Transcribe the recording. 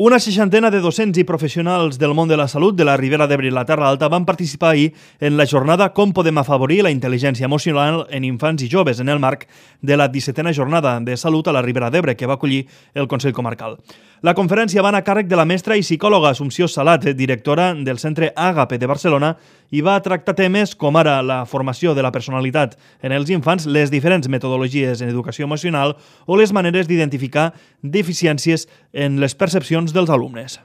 Una seixantena de docents i professionals del món de la salut de la Ribera d'Ebre i la Terra Alta van participar ahir en la jornada Com podem afavorir la intel·ligència emocional en infants i joves en el marc de la 17a jornada de salut a la Ribera d'Ebre que va acollir el Consell Comarcal. La conferència va anar a càrrec de la mestra i psicòloga Assumpció Salat, directora del Centre Àgape de Barcelona, i va tractar temes com ara la formació de la personalitat en els infants, les diferents metodologies en educació emocional o les maneres d'identificar deficiències en les percepcions dels alumnes.